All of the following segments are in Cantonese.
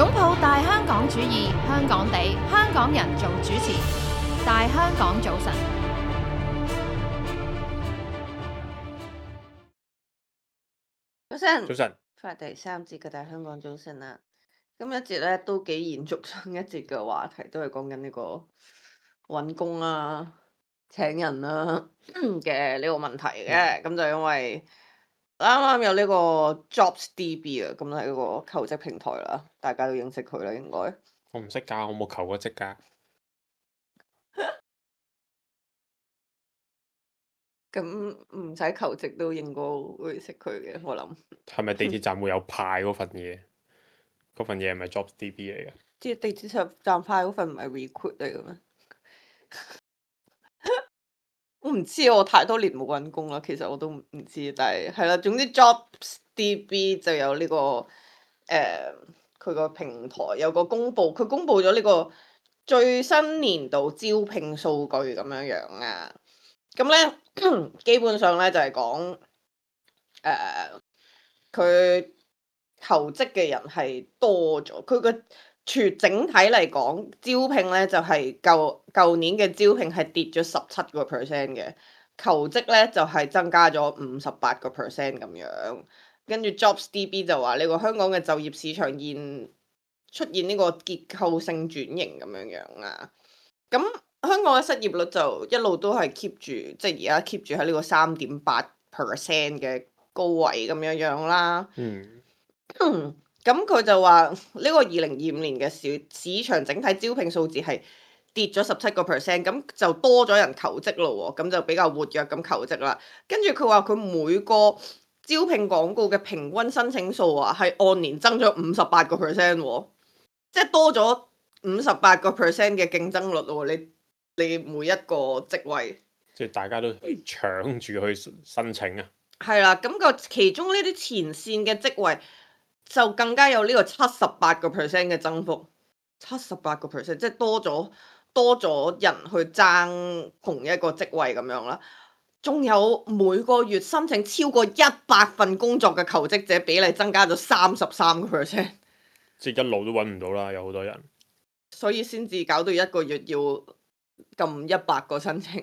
擁抱大香港主義，香港地，香港人做主持。大香港早晨，早晨，早晨，翻嚟第三節嘅大香港早晨啦。今一節咧都幾延續上一節嘅話題，都係講緊呢個揾工啊、請人啊嘅呢個問題嘅。咁就因為啱啱有呢個 JobsDB 啊，咁係一個求職平台啦，大家都認識佢啦，應該。我唔識㗎，我冇求過職㗎。咁唔使求職都應該會識佢嘅，我諗。係咪地鐵站會有派嗰份嘢？嗰份嘢係咪 JobsDB 嚟嘅？即係地鐵站派嗰份唔係 recruit 嚟嘅咩？我唔知，我太多年冇揾工啦，其實我都唔知，但係係啦，總之 JobsDB 就有呢個佢個平台有個公佈，佢公佈咗呢個最新年度招聘數據咁樣樣啊。咁咧基本上咧就係講佢求職嘅人係多咗，佢個整體嚟講，招聘咧就係舊年嘅招聘係跌咗17%嘅，求職咧就係增加咗58%咁樣。跟住 JobsDB 就話呢個香港嘅就業市場出現呢個結構性轉型咁樣樣啊。咁香港嘅失業率就一路都係 keep 住，即係而家 keep 住喺呢個3.8%嘅高位咁樣樣啦。咁佢就話呢個2025年嘅市場整體招聘數字係跌咗17%，咁就多咗人求職咯喎，咁就比較活躍咁求職啦。跟住佢話佢每個招聘廣告嘅平均申請數啊，係按年增咗58%喎，即係多咗58%嘅競爭率喎。你每一個職位，即係大家都搶住去申請啊！係啦，咁個其中呢啲前線嘅職位就更加有呢個78%嘅增幅，78%，即係多咗人去爭同一個職位咁樣啦。仲有每個月申請超過100份工作嘅求職者比例增加咗33%，即係一路都揾唔到啦，有好多人。所以先至搞到一個月要撳100個申請。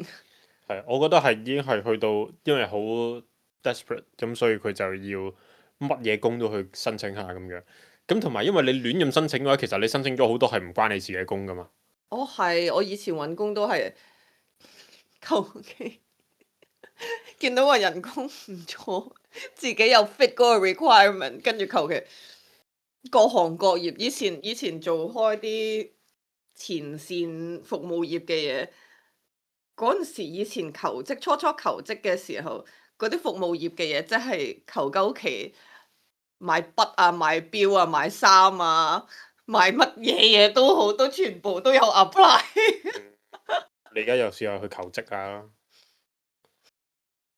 係，我覺得係已經係去到，因為好 desperate，咁所以佢就要乜嘢工都去申請下咁樣。咁同埋因為你亂咁申請嘅話，其實你申請咗好多係唔關你自己工噶嘛。係，我以前揾工都係求其見到個人工唔錯，自己又 fit 嗰個 requirement，跟住求其各行各業。以前做開啲前線服務業嘅嘢，嗰陣時以前求職初求職嘅時候，嗰啲服務業嘅嘢，即係求鳩其買筆啊、買錶啊、買衫啊、買乜嘢嘢都好，都全部都有 apply。你而家又試下去求職啊？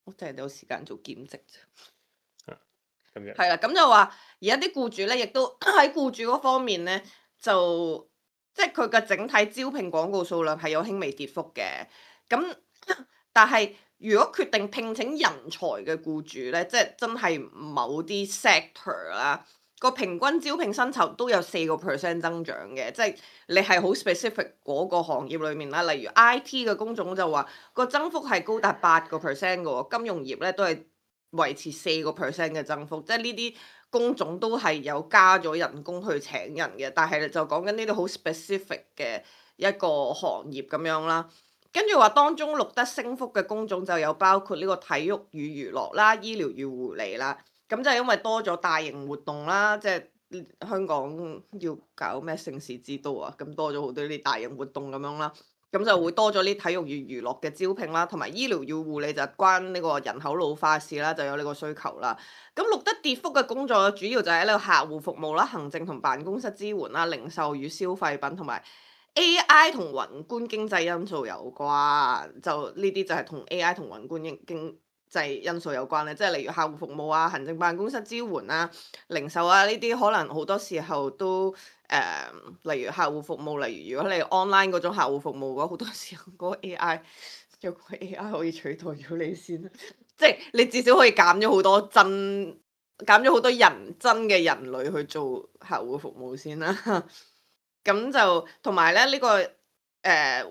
我淨係有時間做兼職啫。咁樣係啦，咁就話而家啲僱主咧，亦都喺僱主嗰方面咧，就即係佢嘅整體招聘廣告數量係有輕微跌幅嘅。咁但係如果決定聘請人才嘅僱主咧，即係真係某啲 sector 啦，個平均招聘薪酬都有4% 增長嘅，即係你係好 specific 嗰個行業裏面啦。例如 IT 嘅工種就話個增幅係高達8% 嘅喎，金融業咧都係維持4% 嘅增幅，即係呢啲工種都係有加咗人工去請人嘅，但係就講緊呢啲好 specific 嘅一個行業咁樣啦。跟住話當中錄得升幅嘅工種就有包括呢個體育與娛樂啦、醫療與護理啦。咁就係因為多咗大型活動啦，即係香港要搞咩盛事之都啊，咁多咗好多呢啲大型活動咁樣啦。咁就會多咗啲體育與娛樂嘅招聘啦，同埋醫療與護理就關呢個人口老化事啦，就有呢個需求啦。咁錄得跌幅嘅工作主要就係呢個客戶服務啦、行政同辦公室支援啦、零售與消費品同埋 AI 同宏觀經濟因素有關。就呢啲就係同 AI 同宏觀經濟因素有關咧，即係例如客戶服務啊、行政辦公室支援啊、零售啊呢啲，可能好多時候都例如客戶服務，例如如果你 online 嗰種客戶服務嘅話，好多時候嗰個 AI 有個 AI 可以取代咗你先，即係你至少可以減咗好多減咗好多真嘅人類去做客戶服務先啦。咁就同埋咧呢個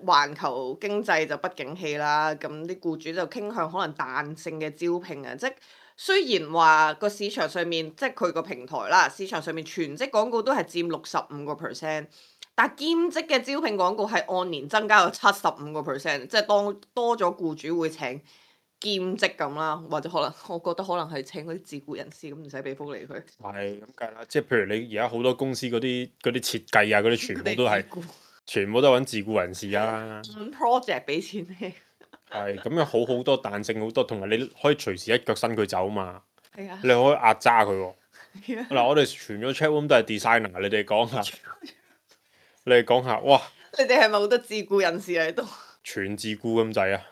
環球經濟就不景氣啦，咁啲僱主就傾向可能彈性嘅招聘啊，即係雖然話個市場上面即係佢個平台啦，市場上面全職廣告都係佔65%，但兼職嘅招聘廣告係按年增加咗75%，即係當多咗僱主會請兼職咁啦，或者可能我覺得可能係請嗰啲自僱人士咁，唔使俾福利佢。係咁計啦，即係譬如你而家好多公司嗰啲設計啊，嗰啲全部都係全部都揾自僱人士啊。project 俾錢你。係咁樣好多彈性好多，同埋你可以隨時一腳伸佢走嘛。係啊你。可以壓榨佢喎。係啊嗱，我哋全咗 chat room 都係 designer，你哋講下，你哋講下，哇！你哋係咪好多自僱人士喺度？全自僱咁滯啊！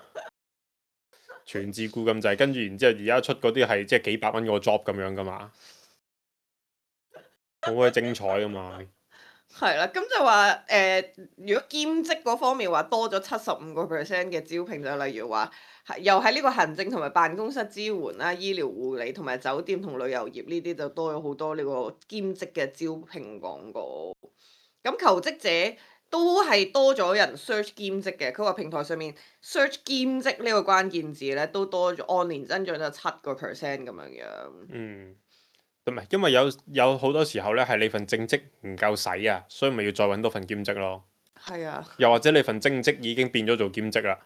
全自僱咁滯，跟住然之後而家出嗰啲係即係幾百蚊個 job 咁樣噶嘛，好鬼精彩噶嘛。係啦，咁就話如果兼職嗰方面話多咗75%嘅招聘，就例如話又喺呢個行政同埋辦公室支援啦、醫療護理同埋酒店同旅遊業呢啲就多咗好多呢個兼職嘅招聘廣告。咁求職者都係多咗人 search 兼職嘅，佢話平台上面 search 兼職呢個關鍵字咧都多咗，按年增長咗7%咁樣樣。嗯，唔係因為有好多時候咧係你份正職唔夠使啊，所以咪要再揾多份兼職咯。係啊，又或者你份正職已經變咗做兼職啦。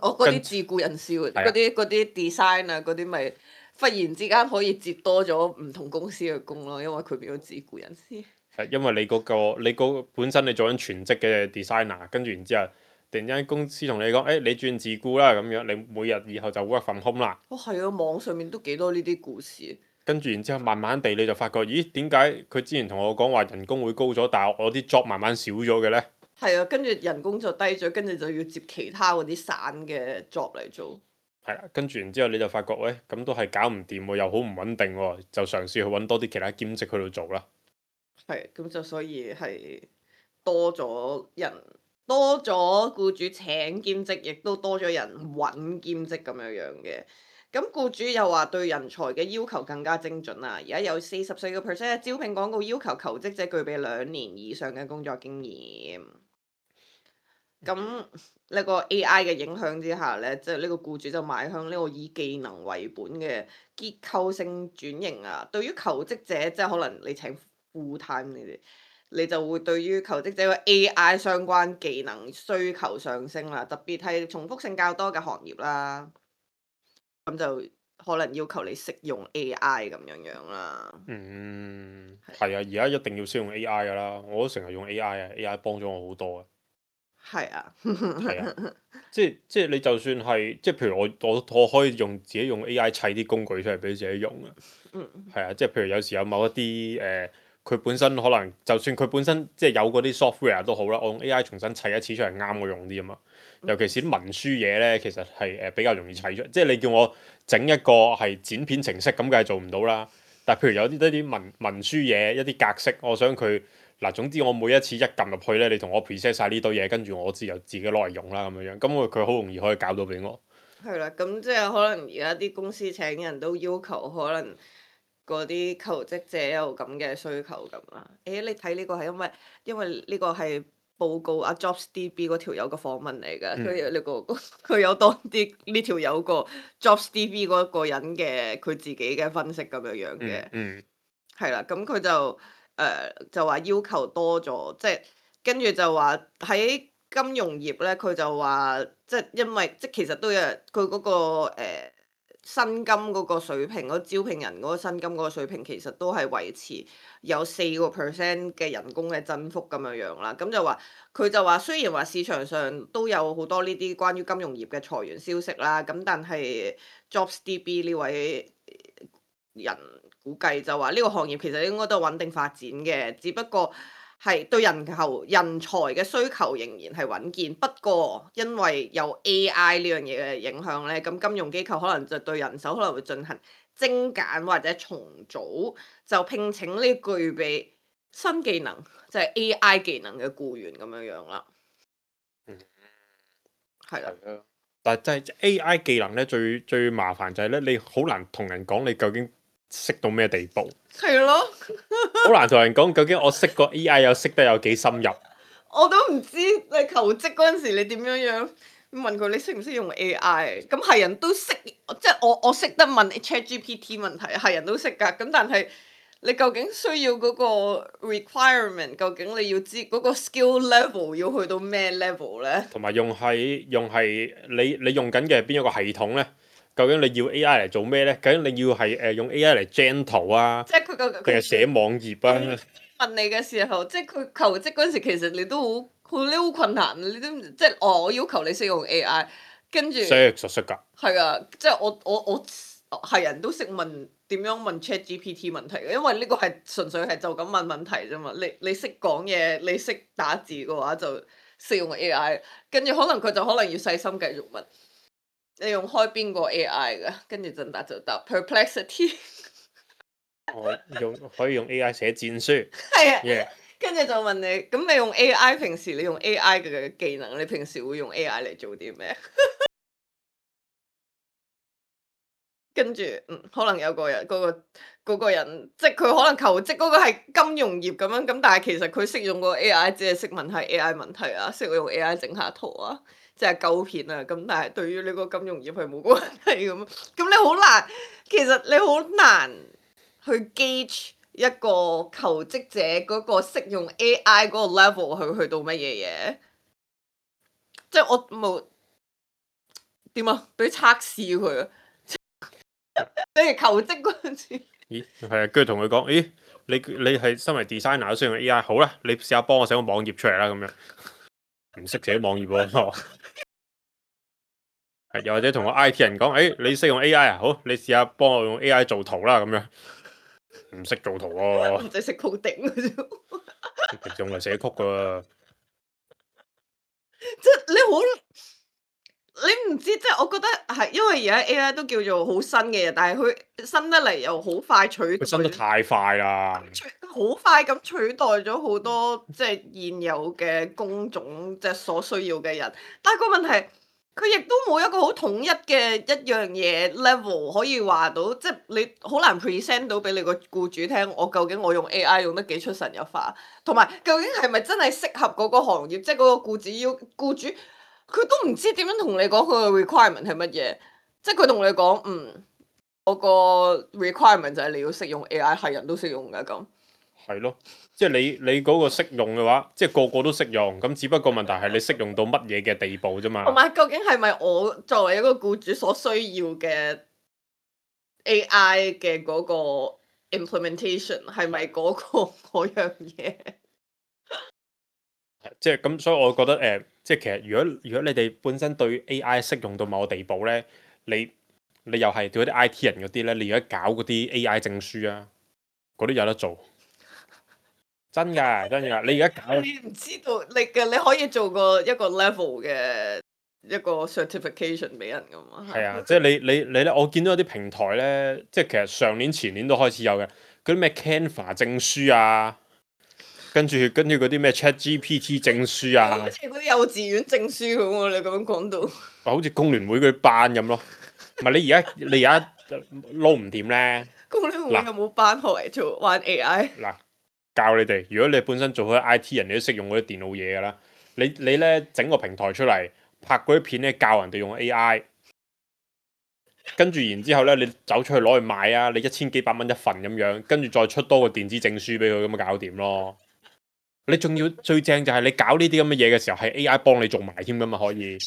我嗰啲自僱人士嗰啲 design 啊嗰啲咪忽然之間可以接多咗唔同公司嘅工咯，因為佢變咗自僱人士。係因為你本身你做緊全職嘅 designer，跟住然之後突然之間公司同你講，誒、你轉自僱啦咁樣，你每日以後就 work from home 啦。哦，係啊，網上面都幾多呢啲故事。跟住然之後慢慢地你就發覺，咦，點解佢之前同我講話人工會高咗，但係我啲 job 慢慢少咗嘅呢？係啊，跟住人工就低咗，跟住就要接其他嗰啲散嘅 job 嚟做。係啦，跟住然之後你就發覺，喂，咁都係搞唔掂喎，又好唔穩定喎，就嘗試去揾多啲其他兼職去度做啦。係，咁就所以係多咗人，多咗僱主請兼職，亦都多咗人揾兼職咁樣樣嘅。咁僱主又話對人才嘅要求更加精準啦。而家有44%嘅招聘廣告要求求職者具備2年以上嘅工作經驗。咁呢個 AI 嘅影響之下呢，即係呢個僱主就邁向呢個以技能為本嘅結構性轉型啊。對於求職者，即係可能你請 full time 呢啲，你就會對於求職者嘅 AI 相關技能需求上升啦。特別係重複性較多嘅行業啦，咁就可能要求你識用 AI 咁樣樣啦。嗯，係啊，而家一定要識用 AI 噶啦，我都成日用 AI 啊，AI 幫咗我好多啊。係啊，係啊，即係你就算係即係譬如我可以自己用 AI 砌啲工具出嚟俾自己用啊。嗯，係啊，即係譬如有時有某一啲佢本身可能就算佢本身即係有嗰啲 software 都好啦，我用 AI 重新砌一次出嚟啱我用啲啊嘛。尤其是啲文書嘢咧，其實係比較容易砌出。即係你叫我整一個係剪片程式咁，梗係做唔到啦。但係譬如有啲文書嘢一啲格式，我想佢嗱，總之我每一次一撳入去咧，你同我 preset 晒呢堆嘢，跟住我自己攞嚟用啦咁樣樣。咁佢好容易可以搞到俾我。係啦，咁即係可能而家啲公司請人都要求可能嗰啲求職者有咁嘅需求咁啦。你睇呢個係因為呢個係報告阿 JobsDB 嗰條友嘅訪問嚟㗎，佢有呢個佢有當啲呢條友個 JobsDB 嗰個人嘅佢自己嘅分析咁樣樣嘅。係啦，咁佢就話要求多咗，即係跟住就話喺金融業咧，佢就話即係因為即係其實都有佢嗰個薪金嗰個水平，嗰招聘人嗰個薪金嗰個水平其實都係維持有4%嘅人工嘅增幅咁樣樣啦。咁佢就話雖然話市場上都有好多呢啲關於金融業嘅裁員消息啦，咁但係 JobsDB 呢位人估計就話呢個行業其實應該都係穩定發展嘅，只不過係對人才嘅需求仍然係穩健。不過因為有 AI 呢樣嘢嘅影響咧，咁金融機構可能就對人手可能會進行精簡或者重組，就聘請呢具備新技能，就係 AI 技能嘅僱員咁樣樣啦。係啦。但係真係 AI 技能咧，最麻煩就係咧，你好難同人講你究竟識到咩地步，係咯，好難同人講究竟我識個 AI 識得有幾深入。我都唔知你求職嗰陣時你點樣問佢你識唔識用 AI？咁係人都識，即係我識得問 ChatGPT 問題，係人都識㗎。咁但係你究竟需要嗰個 requirement，究竟你要知嗰個 skill level 要去到咩 level 咧？同埋用係你用緊嘅係邊一個系統咧？究竟你要 AI 嚟做咩咧？究竟你要係用 AI 嚟 gen 圖啊，即係佢究定係寫網頁啊？問你嘅時候，即係佢求職嗰陣時，其實你都你好困難，你都即係我要求你識用 AI，跟住識㗎。係啊，即係我係人都識問點樣問 ChatGPT 問題嘅，因為呢個係純粹係就咁問問題啫嘛。你識講嘢，你識打字嘅話就識用 AI，跟住可能佢就可能要細心繼續問你用開邊個 AI 㗎，跟住就答 Perplexity。我可以用 AI 寫戰書。係啊。Yeah. 跟住就問你，咁你用 AI 平時你用 AI 嘅技能，你平時會用 AI 嚟做啲咩？跟住可能有個人嗰個人，即係佢可能求職嗰個係金融業咁樣，咁但係其實佢識用個 AI，只係識問下 AI 問題啊，識用 AI 整下圖啊，即係鳩片啊，咁但係對於呢個金融業係冇關係咁，咁你好難，其實你好難去 gauge 一個求職者嗰個識用 AI 嗰個 level 去到乜嘢嘢，即係我冇點啊，俾測試佢啊！你哋求職嗰陣時，咦，係啊，跟住同佢講，咦，你係身為 designer 都識用 AI，好啦，你試下幫我寫個網頁出嚟啦，咁樣唔識寫網頁喎。係又或者同個 IT 人講，你識用 AI 啊，好，你試下幫我用 AI 做圖啦，咁樣唔識做圖喎。唔使識 coding 嘅啫。仲係寫曲噶。即係你好，你唔知，即係我覺得係因為而家 AI 都叫做好新嘅嘢，但係佢新得嚟又好快取代，佢新得太快啦，好快咁取代咗好多即係現有嘅工種，即係所需要嘅人。但係個問題，佢亦都冇一個好統一嘅一樣嘢 level 可以話到，即係你好難 present 到俾你個僱主聽，我究竟我用 AI 用得幾出神入化，同埋究竟係咪真係適合嗰個行業，即係嗰個僱主。佢都唔知點樣同你講佢嘅 requirement 係乜嘢，即係佢同你講，我個 requirement 就係你要識用 AI，係人都識用㗎咁。係咯，即係你嗰個識用嘅話，即係個個都識用，咁只不過問題係你識用到乜嘢嘅地步啫嘛。同埋究竟係咪我作為一個僱主所需要嘅 AI 嘅嗰個 implementation 係咪嗰樣嘢？即係咁，所以我覺得即係其實如果你哋本身對 AI 適用到某個地步咧，你又係對嗰啲 IT 人嗰啲咧，你而家搞嗰啲 AI 證書啊，嗰啲有得做，真㗎真㗎，你而家搞，你唔知道你可以做一個 level 嘅一個 certification 俾人㗎嘛？係啊，即係你咧，我見到有啲平台咧，即係其實上年前年都開始有嘅，嗰啲咩 Canva 證書啊。跟住嗰啲咩 ChatGPT 證書啊，好似嗰啲幼稚園證書咁喎，你咁樣講到，好似工聯會嗰啲班咁咯。唔係你而家撈唔掂咧？工聯會有冇班學嚟做玩 AI？嗱，教你哋，如果你本身做開 IT 人，你都識用嗰啲電腦嘢㗎啦。你咧整個平台出嚟，拍嗰啲片咧教人哋用 AI，跟住然之後咧你走出去攞去賣啊，你1000幾百蚊一份咁樣，跟住再出多個電子證書俾佢，咁咪搞掂咯。你仲要最正就係你搞呢啲咁嘅嘢嘅時候，係 AI 幫你做埋添㗎嘛，可以。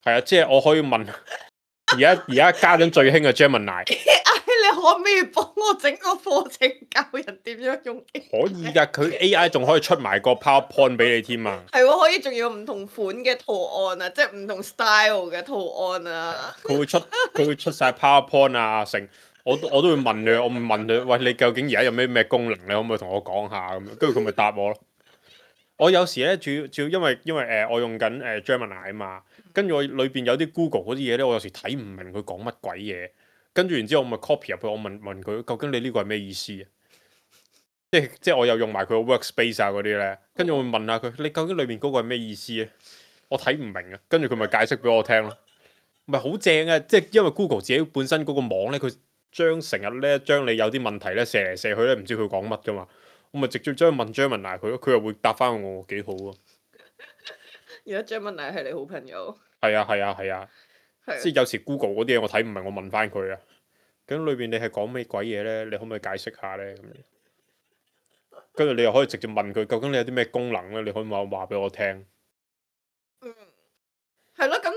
係啊，即係我可以問，而家家陣最興嘅 Gemini， 你可唔可以幫我整個課程教人點樣用 AI？可以㗎，佢 AI 仲可以出埋個 PowerPoint 俾你添啊。係喎，可以仲要唔同款嘅圖案啊，即係唔同 style 嘅圖案啊。佢會出晒 PowerPoint 啊，成。我都會問佢，我問佢，喂，你究竟而家有咩功能？你可唔可以同我講下咁樣？跟住佢咪答我咯。我有時咧，主要因為我用緊Gemini 啊嘛，跟住我裏邊有啲 Google 嗰啲嘢咧，我有時睇唔明佢講乜鬼嘢，跟住然之後我咪 copy 入去，我問佢究竟你呢個係咩意思啊？即係我又用埋佢個 workspace 啊嗰啲咧，跟住我會問下佢，你究竟裏面嗰個係咩意思啊？我睇唔明啊，跟住佢咪解釋俾我聽咯。唔係好正啊！即係因為 Google 自己本身嗰個網咧，佢成日咧將你有啲問題咧射嚟射去咧，唔知佢講乜噶嘛，我咪直接將問 Gemini 佢咯，佢又會答翻我，幾好啊！而家 Gemini 係你好朋友，係啊係啊係啊，係即係有時 Google 嗰啲嘢我睇唔明，我問翻佢啊。咁裏邊你係講咩鬼嘢咧？你可唔可以解釋下咧？咁樣，跟住你又可以直接問佢，究竟你有啲咩功能咧？你可唔可以話俾我聽？嗯，係咯，咁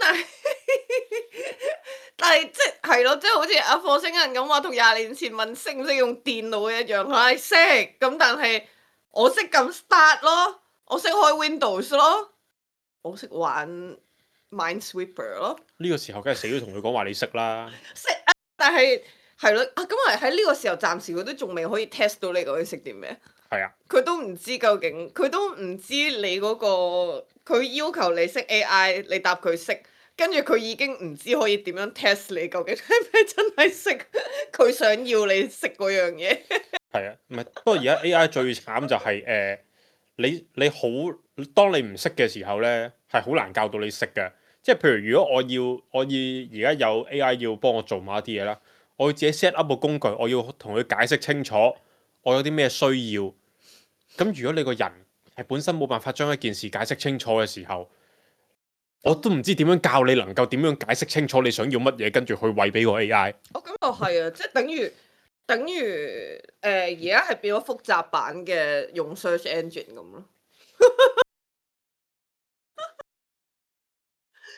但係即係咯，即係好似阿火星人咁話，同20年前問識唔識用電腦一樣，係識，咁但係我識撳 start 咯，我識開 Windows 咯，我識玩 Minesweeper 咯，呢個時候梗係死都同佢講話你識啦。識啊，但係係咯，咁啊喺呢個時候暫時佢都仲未可以 test 到你究竟識啲咩，係啊，佢都唔知究竟，佢都唔知你嗰個，佢要求你識 AI，你答佢識。跟住佢已經唔知可以點樣 test 你究竟係咪真係識佢想要你識嗰樣嘢。係啊，唔係不過而家 AI 最慘就係、你好，當你唔識嘅時候咧，係好難教到你識嘅。即係譬如如果我而家有 AI 要幫我做某一啲嘢啦，我要自己 set up 個工具，我要同佢解釋清楚我有啲咩需要。咁如果你個人係本身冇辦法將一件事解釋清楚嘅時候，我都唔知點樣教你能夠點樣解釋清楚你想要乜嘢，跟住去餵俾個 AI。我感覺係啊，即係等於而家係變咗複雜版嘅用 search engine 咁咯。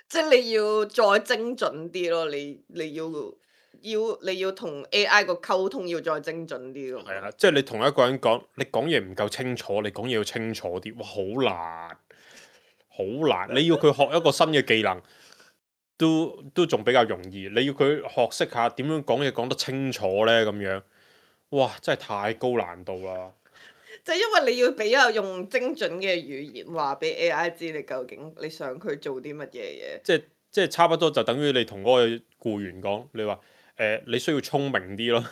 即係你要再精準啲咯，你要同 AI 個溝通要再精準啲咯。係啊，即係你同一個人講，你講嘢唔夠清楚，你講嘢要清楚啲，哇，好難，好難。你要佢學一個新嘅技能，都仲比較容易。你要佢學識下點樣講嘢講得清楚呢？咁樣，哇，真係太高難度啦。即係因為你要比較用精準嘅語言話俾 AI 知你究竟你想佢做啲乜嘢嘢。即係差不多就等於你同嗰個僱員講，你話你需要聰明啲咯。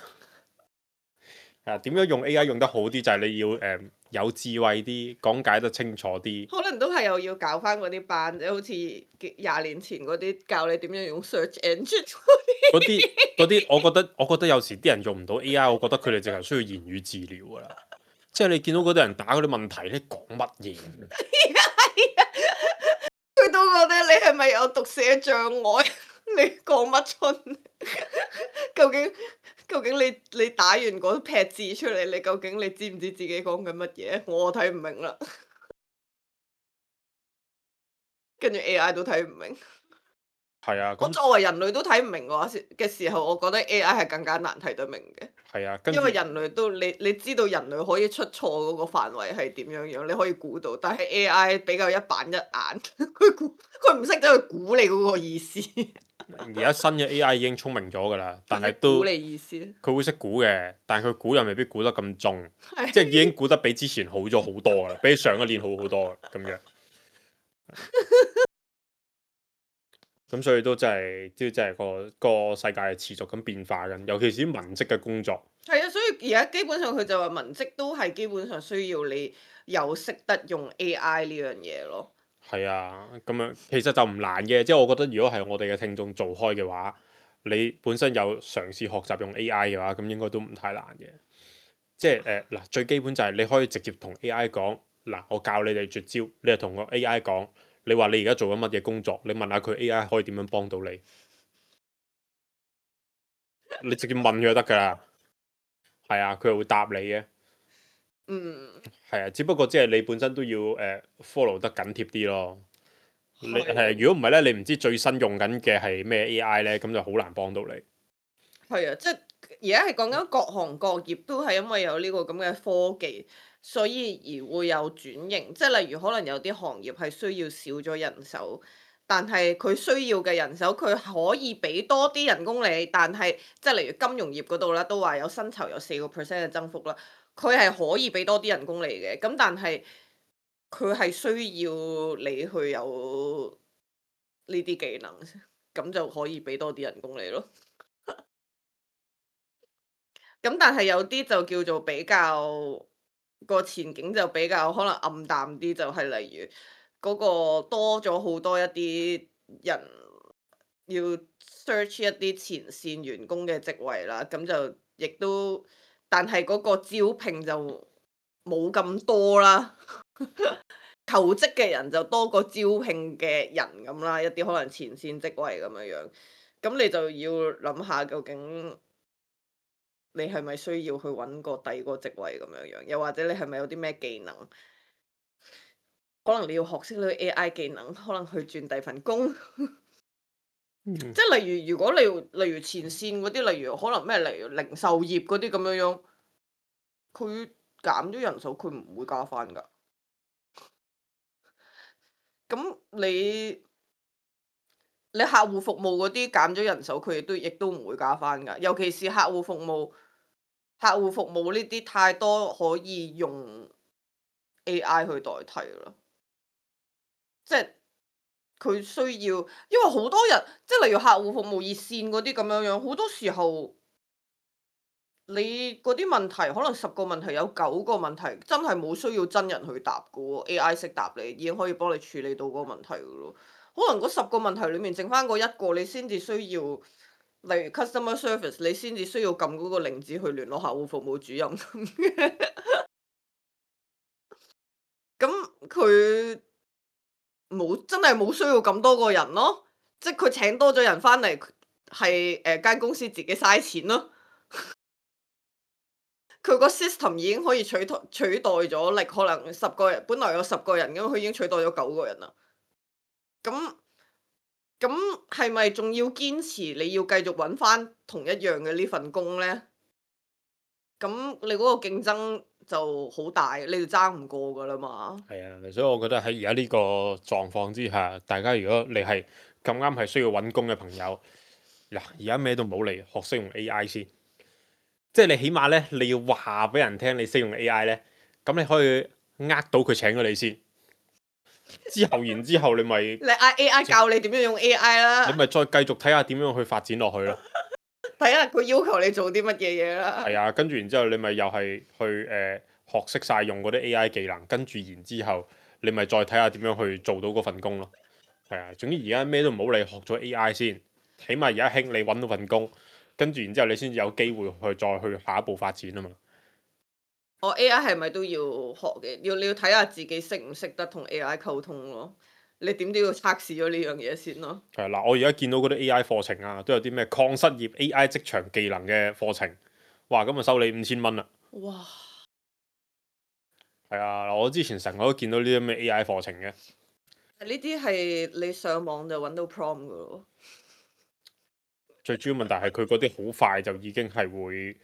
係點樣用 AI 用得好啲？就係你要有智慧啲，講解得清楚啲。可能都係又要搞翻嗰啲班，即係好似20年前嗰啲教你點樣用 search engine 嗰啲，我覺得有時啲人用唔到 AI，我覺得佢哋淨係需要言語治療㗎啦。即係你見到嗰啲人打嗰啲問題咧，講乜嘢？佢都覺得你係咪有讀寫障礙？你講乜春？究竟你打完嗰撇字出嚟，你究竟你知唔知自己講緊乜嘢？我睇唔明啦。跟住 AI 都睇唔明。係啊，我作為人類都睇唔明嘅時候，我覺得 AI 係更加難睇得明嘅。係啊，因為人類都你知道人類可以出錯嗰個範圍係點樣樣，你可以估到，但係 AI 比較一板一眼，佢唔識得去估你嗰個意思。而家新嘅 AI 已經聰明咗㗎啦，但係估都你意思。佢會識估嘅，但係佢估又未必估得咁重，係即係已經估得比之前好咗好多㗎啦，比上一年好好多咁樣。咁所以都真係個世界係持續咁變化緊，尤其是啲文職嘅工作。係啊，所以而家基本上佢就話文職都係基本上需要你有識得用 AI 呢樣嘢咯。係啊，咁樣其實就唔難嘅，即係我覺得如果係我哋嘅聽眾做開嘅話，你本身有嘗試學習用 AI 嘅話，咁應該都唔太難嘅。即係嗱，最基本就係你可以直接同 AI 講，嗱，我教你哋絕招，你就同個 AI 講，你話你而家做緊乜嘢工作，你問下佢 AI 可以點樣幫到你，你直接問佢就得㗎啦。係啊，佢係會答你嘅。嗯，係啊，只不過即係你本身都要follow 得緊貼啲咯。你係如果唔係咧，你唔知最新用緊嘅係咩 AI 咧，咁就好難幫到你。係啊，即係而家係講緊各行各業都係因為有呢個咁嘅科技，所以而會有轉型。即係例如可能有啲行業係需要少咗人手，但係佢需要嘅人手，佢可以俾多啲人工你，但係即係例如金融業嗰度啦，都話有薪酬有4% 嘅增幅啦，佢係可以俾多啲人工你嘅。咁但係佢係需要你去有呢啲技能，咁就可以俾多啲人工你咯。咁但係有啲就叫做比較個前景就比較可能暗淡啲，就係例如嗰個多咗好多一啲人要 search 一啲前線員工嘅職位啦，咁就亦都，但係嗰個招聘就冇咁多啦。求職嘅人就多過招聘嘅人咁啦，一啲可能前線職位咁樣樣，咁你就要諗下究竟你係咪需要去揾個第二個職位咁樣樣，又或者你係咪有啲咩技能，可能你要學識呢個 AI 技能，可能去轉第二份工。即係例如，如果例如前線嗰啲，例如可能咩，例如零售業嗰啲咁樣樣，佢減咗人手，佢唔會加翻㗎。咁你客戶服務嗰啲減咗人手，佢亦都唔會加翻㗎。尤其是客戶服務呢啲太多可以用 AI 去代替啦。即係佢需要，因為好多人，即係例如客戶服務熱線嗰啲咁樣樣，好多時候你嗰啲問題，可能10個問題有9個問題真係冇需要真人去答㗎喎，AI 識答你，已經可以幫你處理到嗰個問題㗎咯。可能嗰10個問題裡面剩翻嗰1個，你先至需要，例如 customer service，你先至需要撳嗰個零字去聯絡客戶服務主任。咁佢真係冇需要咁多個人咯，即係佢請多咗人翻嚟，係間公司自己嘥錢咯。佢個 system 已經可以取代咗，你可能10個人，本來有10個人咁，佢已經取代咗9個人啦。咁係咪仲要堅持你要繼續揾翻同一樣嘅呢份工呢？咁你嗰個競爭就好大，你就爭唔過噶啦嘛。係啊，所以我覺得喺而家呢個狀況之下，大家如果你係咁啱係需要揾工嘅朋友，嗱，而家咩都唔好嚟，學識用 AI 先。即係你起碼咧，你要話俾人聽你識用 AI 咧，咁你可以呃到佢請咗你先。然之後你咪你嗌 AI 教你點樣用 AI 啦，你咪再繼續睇下點樣去發展落去咯。睇下佢要求你做啲乜嘢嘢啦。係啊，跟住然之後你咪又係去學識晒用嗰啲 AI 技能，跟住然之後你咪再睇下點樣去做到嗰份工咯。係啊，總之而家咩都唔好理，學咗 AI 先，起碼而家興你揾到份工，跟住然之後你先至有機會去再去下一步發展啊嘛。我 AI 係咪都要學嘅？你要睇下自己識唔識得同 AI 溝通咯。你點都要測試咗呢樣嘢先咯。係嗱，我而家見到嗰啲 AI 課程啊，都有啲咩抗失業 AI 職場技能嘅課程，哇！咁啊收你5000蚊啦。哇！係啊，我之前成日都見到呢啲咩 AI 課程嘅。呢啲係你上網就揾到 prompt 噶咯。最主要問題係佢嗰啲好快就已經係會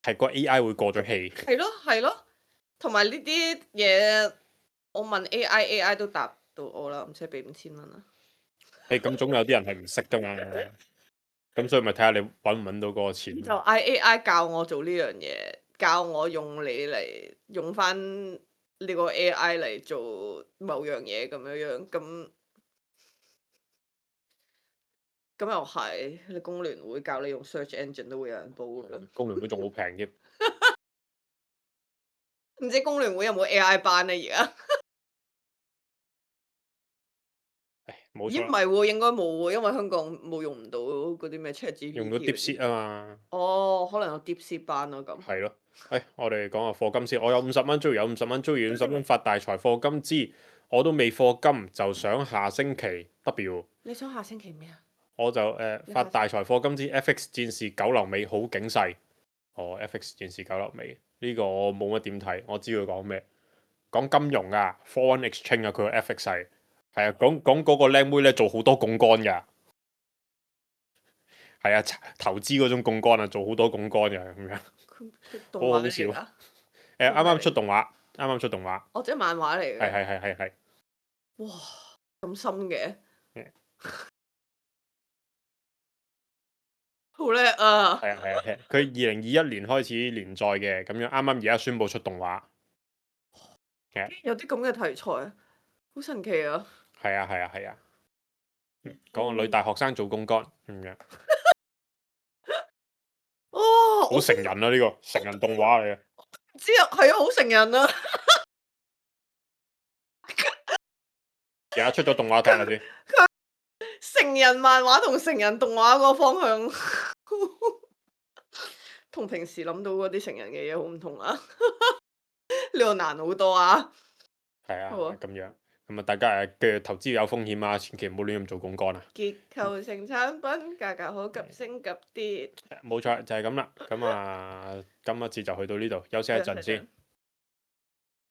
係個 AI 會過咗氣。係咯係咯，同埋呢啲嘢，我問 AI 都答到我啦，唔使俾5000蚊啦。咁總有啲人係唔識噶嘛，咁所以咪睇下你揾唔揾到嗰個錢。就嗌 AI 教我做呢樣嘢，教我用你嚟用翻呢個 AI 嚟做某樣嘢咁樣樣，咁又係，你工聯會教你用 search engine 都會有人報㗎。工聯會仲好平添。唔知工聯會有冇 AI 班呢？而家？冇錯。咦唔係喎，應該冇喎，因為香港冇用唔到嗰啲咩 ChatGPT 用到 DeepSeek 啊嘛。哦，可能有 DeepSeek 班咯咁。係咯。我哋講下課金先。我有50蚊，終於有50蚊，終於50蚊發大財課金之，我都未課金，就想下星期 W。你想下星期咩啊？我就發大財課金之 FX 戰士九流尾好警世。FX 戰士九流尾呢個我冇乜點睇，我知佢講咩，講金融啊，foreign exchange 啊，佢個 FX 係啊，講嗰個靚妹咧做好多槓桿㗎，係啊，投資嗰種槓桿啊，做好多槓桿㗎咁樣，好好笑。啱啱出動畫，啱啱出動畫。哦，即係漫畫嚟嘅。係。哇，咁深嘅。好叻啊！係啊，佢2021年開始連載嘅，咁樣啱啱而家宣布出動畫。有啲咁嘅題材，好神奇啊！係啊，講個女大學生做公幹咁樣。哦，好成人啊！呢個成人動畫嚟嘅。知啊，係啊，好成人啊！而家出咗動畫睇下先。成人漫畫同成人動畫個方向，同平時諗到嗰啲成人嘅嘢好唔同啊！呢個難好多啊！係啊，好啊咁樣咁啊，大家嘅投資要有風險啊，千祈唔好亂咁做槓桿啊！結構性產品價格好急升急跌，冇錯，就係咁啦。咁啊，今一次就去到呢度，休息一陣先。